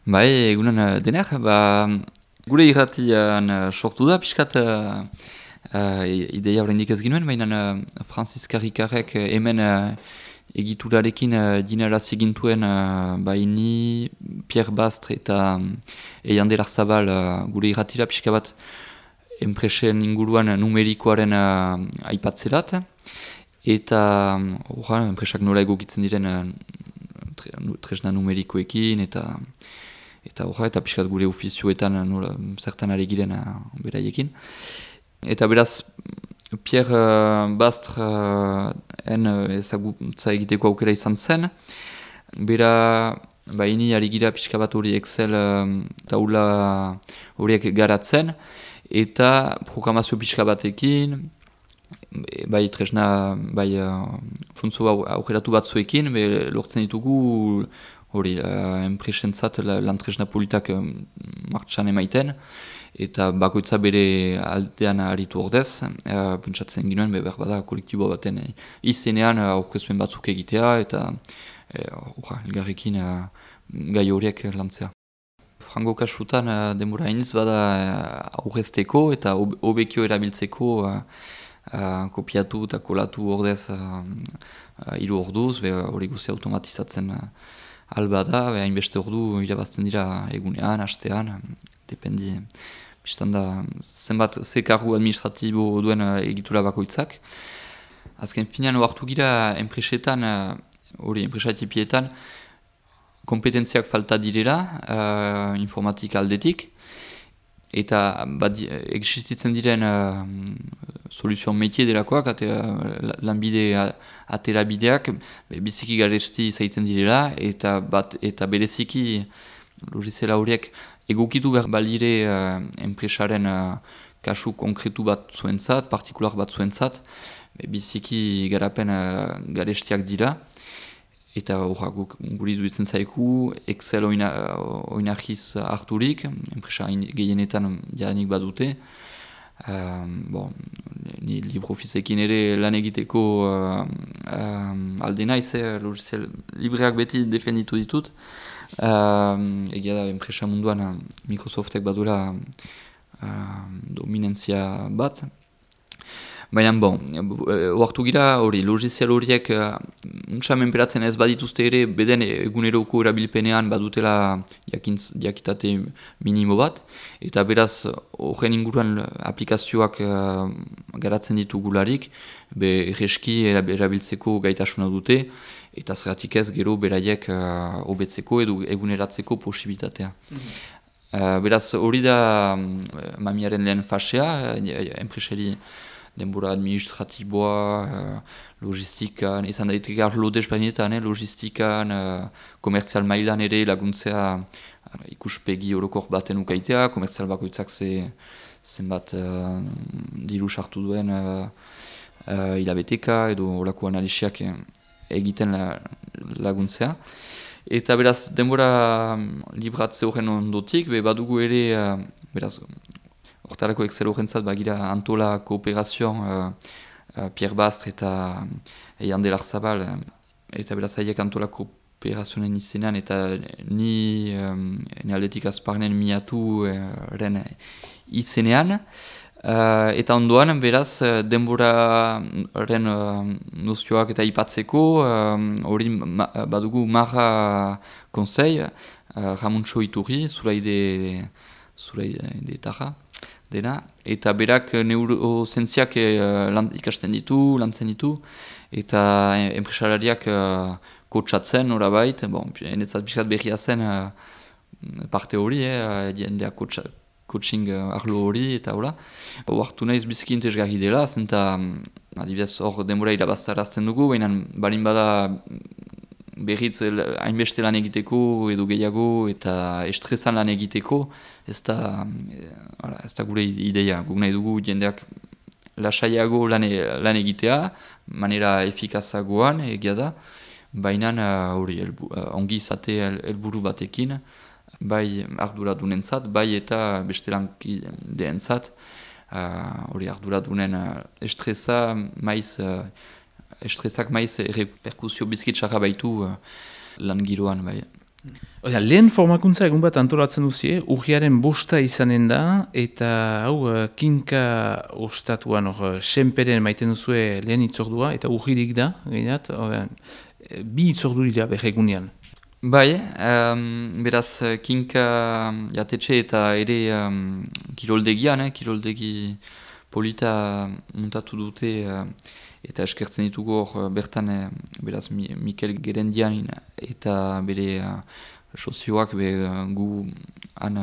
Bai, egunon dener, gure irratian sortu da, pixkat ideia oraindik ez ginuen, baina Francis Karrikarek hemen egiturarekin dinarazi gintuen baini Pierre Bastre eta Eian de Larzabal gure irratira pixka bat enpresen inguruan numerikoaren aipatzerat, eta enpresak nola egokitzen diren tresna numerikoekin, eta pixkat gure ofizioetan zertan ari giren beraiekin. Eta beraz, Pierre Bastre ezagutza egiteko aukera izan zen. Bera, baini ari gira pixka bat hori Excel taula horiek garatzen, eta programazio pixka batekin, bai tresna, bai funtzo aukeratu batzuekin, lortzen ditugu hori enpresentzat lan tresna politak martxan emaiten, eta bakoitza bere aldean aritu ordez, pentsatzen ginoen, behar bada kolektibo baten izenean aurkezpen batzuk egitea, eta elgarrekin gai horiek lantzea. Frango kasutan denbora iniz bada aurrezteko eta hobekio erabiltzeko kopiatu eta kolatu ordez 3 orduz, hori guzti automatizatzen alba da, hainbeste ordu irabazten dira egunean, hastean, dependi, biztan da, zenbat ze kargu administratibo duen egitura bakoitzak. Azken finean oartu gira enpresetan, enpresatipietan, kompetentziak falta direla, informatika aldetik, eta existitzen diren soluzio metie delakoak, lanbide aterabideak, biziki garesti zaiten direla, eta bereziki logizela horiek egokitu behar balire enpresaren kasu konkretu bat zuentzat, partikular bat zuentzat, biziki garapen garestiak dira. Eta guri duitzen zaiku, Excel oinahiz harturik, enpresa gehienetan jadanik badute. Ni LibreOfficeekin ere lan egiteko alde naiz, logiciel libreak beti defenditu ditut. Egia da, enpresa munduan Microsoftek badura dominantzia bat. Baina, oartu gira hori, logizial horiek untsamen beratzen ez badituzte ere, beden eguneroko erabilpenean badutela jakitate minimo bat, eta beraz, horren inguruan aplikazioak garatzen ditugularik, erreski erabiltzeko gaitasuna dute, eta zeratik ez gero beraiek hobetzeko edo eguneratzeko posibilitatea. Beraz, hori da mamiaren lehen fasea, enpresari denbora administratiboa, logistikan, izan daiteke arlo despanietan, logistikan, komertzial mailan ere laguntzea ikuspegi orokor baten ukaitea, komertzial bakoitzak zenbat diru sartu duen hilabeteka edo olako analisiak egiten laguntzea. Eta beraz, denbora libratze horren ondotik, badugu ere, beraz, hortarako Excel horrentzat bagira Antola Kooperazioan Pierre Bastre eta Eian de Larzabal, eta beraz haiek Antola Kooperazionen izenean eta ni aldetik azparnen miatu izenean. Eta ondoan, beraz, denboraren nozioak eta ipatzeko, hori badugu Marra Konsei, Ramuntxo Iturri, zuraide taja dena, eta berak neurozentziak ikasten ditu, lantzen ditu, eta enpresarariak kotxatzen horabait, enetzat bizkat berria zen parte hori, jendeak coaching arlo hori, eta hola. Oartu nahiz biziki interesgarri dela, zenta, adibidez, hor denbora irabaztarazten dugu, baina balin bada berriz hainbeste lan egiteko edo gehiago eta estresan lan egiteko, ez da gure ideia. Guk nahi dugu jendeak lasaiago lan egitea, manera efikazagoan egia da, baina ongi izate helburu batekin, bai arduradunentzat, bai eta beste lankideentzat, arduradunen estresak maiz reperkusio bizkitsarra baitu lan giroan, bai. Lehen formakuntza egun bat antolatzen duzie, urriaren bosta izanen da, eta hau kinka ostatuan, senperen maiten duzue lehen itzordua, eta urririk da, gehiat, bi itzordu dira berregunean. Bai, beraz, kinka jatetxe eta ere kiroldegian, kiroldegi polita muntatu dute eta eskertzen ditugu hor bertan, beraz, Mikel Gerendian eta bere sozioak gu han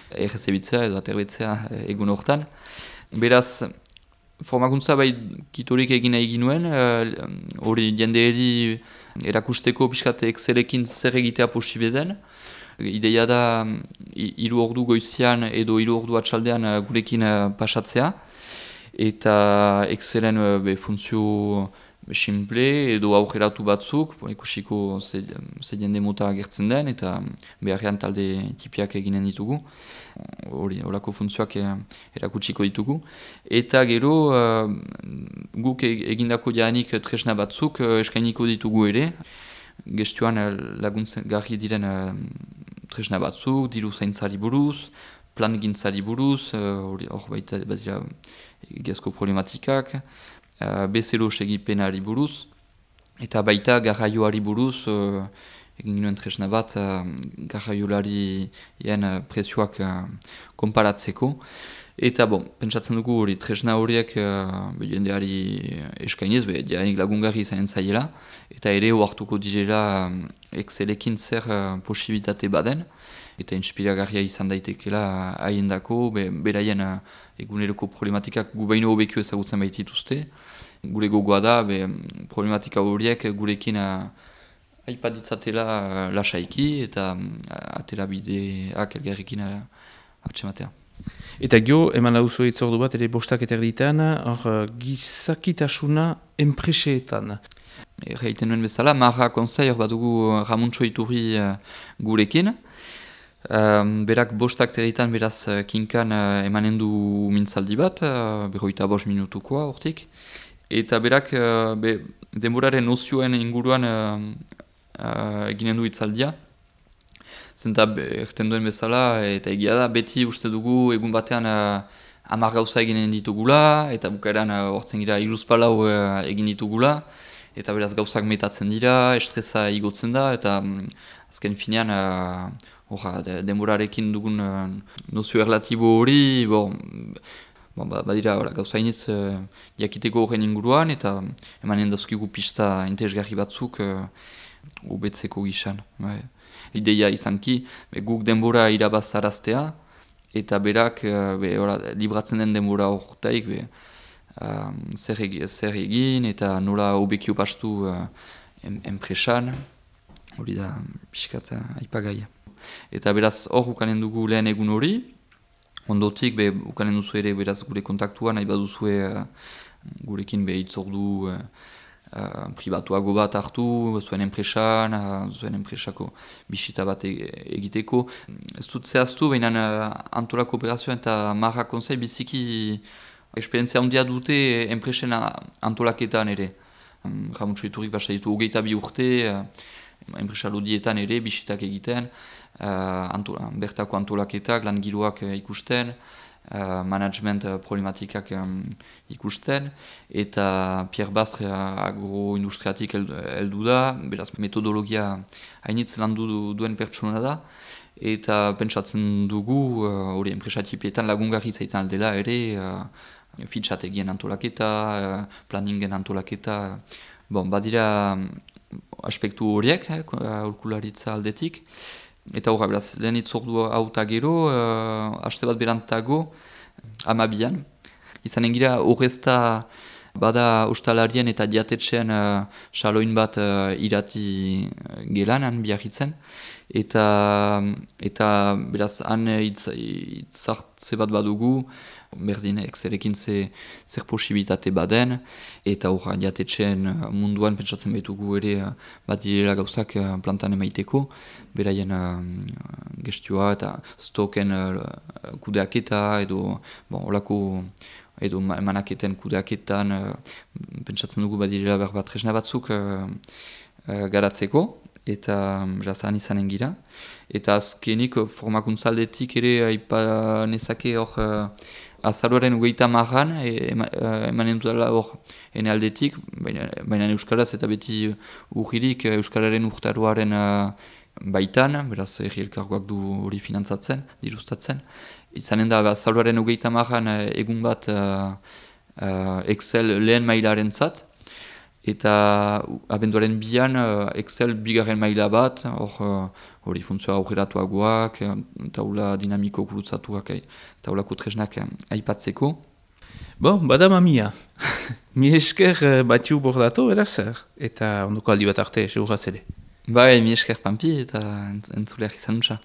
errezebitzea edo aterbetzea egun hortan. Beraz, formakuntza bai kitorik egin nahi ginuen, hori jendeeri erakusteko pixkat Excelekin zer egitea posible den. Ideia da 3 ordu goizian edo 3 ordu atxaldean gurekin pasatzea. Eta Excelen funtzio simple edo aurreratu batzuk, ikusiko ze jende mota agertzen den eta beharrean talde tipiak eginen ditugu. Horako funtzioak erakutsiko ditugu. Eta gero guk egindako jaanik tresna batzuk eskainiko ditugu ere. Gestuan laguntzen garri diren tresna batzuk, diru zaintzari buruz, plan gintzari buruz, hor baita bazira egiazko problematikak, bezero segipenari buruz, eta baita garraioari buruz, egin ginen tresna bat, garraiolarien prezioak konparatzeko. Eta pentsatzen dugu hori tresna horiek jendeari eskainiz, jaanik lagungarri izanen zaiela, eta ere oartuko direla Excelekin zer posibilitate baden, eta inspiragarria izan daitekela haiendako, beraien eguneroko problematikak gu baino hobekio ezagutzen baitituzte. Gure gogoa da, problematika horiek gurekin aipaditzatela lasaiki eta atera bideak elgarrekin atxematea. Eta gio, eman lauzo itzordu bat, ere bostak eta erditan, gizakitasuna enpreseetan. Erraiten nuen bezala, Marra Konsei hor badugu Ramuntxo Iturri gurekin. Berak bostak territan beraz kinkan emanen du mintzaldi bat, 45 minutukoa hortik. Eta berak denboraren nozioen inguruan eginen du itzaldia. Zenta erten duen bezala eta egia da, beti uste dugu egun batean 10 gauza eginen ditugula, eta bukaeran hortzen gira 3 egin ditugula. Eta beraz gauzak metatzen dira, estresa igotzen da, eta azken finean denborarekin dugun nozio erlatibo hori, badira gauza iniz jakiteko horren inguruan, eta emanen dauzkigu pista interesgarri batzuk ubetzeko gisan. Ideia izanki, guk denbora irabazaraztea, eta berak libratzen den denbora horretaik, zer egin eta nola hobekio pastu enpresan, hori da pixkat aipagaia. Eta beraz hor ukanen dugu lehen egun hori, ondotik ukanen duzu ere beraz gure kontaktua, nahi baduzue gurekin hitzordu pribatuago bat hartu, zuen enpresako bisita bat egiteko. Ez dut zehaztu, baina antolako operazioa eta Marra Konsei biziki esperientzia handia dute enpresen antolaketan ere. Ramuntxo Iturrik basta ditu 22 urte, enpresa lodietan ere bisitak egiten, bertako antolaketak, lan giroak ikusten, management problematikak ikusten, eta Pierre Bastre agroindustriatik heldu da, beraz metodologia hainitz landu duen pertsona da, eta pentsatzen dugu, hori enpresatipietan lagungarri zaitan aldela ere, fitxategien antolaketa, planningen antolaketa, badira aspektu horiek, aholkularitza aldetik. Eta horra, beraz, lehen itzordu hau eta gero, haste bat berantago, 12an. Izanen gira, horrezta bada ustalarien eta diatetxean saloin bat irati gelan, biarritzen. Eta beraz, han itzartze bat badugu, berdin, Excelekin zer posibilitate baden, eta horra, diatetxean munduan pentsatzen baitugu ere bat direla gauzak plantan emaiteko, beraien gestioa eta stoken kudeaketa edo olako edo manaketen kudeaketan pentsatzen dugu bat direla berbat tresna batzuk garatzeko. eta berazan izanen gira. Eta azkenik formakuntzaldetik ere aipa nezake hor azaroaren 30an emanen dutela hor ene aldetik, baina euskaraz eta beti urririk euskararen urtaroaren baitan, beraz erri elkargoak du hori finantzatzen, dirustatzen. Izanen da azaroaren 30an egun bat Excel lehen mailaren zat, eta abenduaren 2an Excel bigarren maila bat, hori funtzioa aurreratuagoak, taula dinamiko gurutzatuak, taulako tresnak aipatzeko. Bada mamia. Mi esker batzu bordatu, eraz, eta ondoko aldi bat arte, seguraz ere. Bai, mi esker Pampi eta entzuleak izan nutza.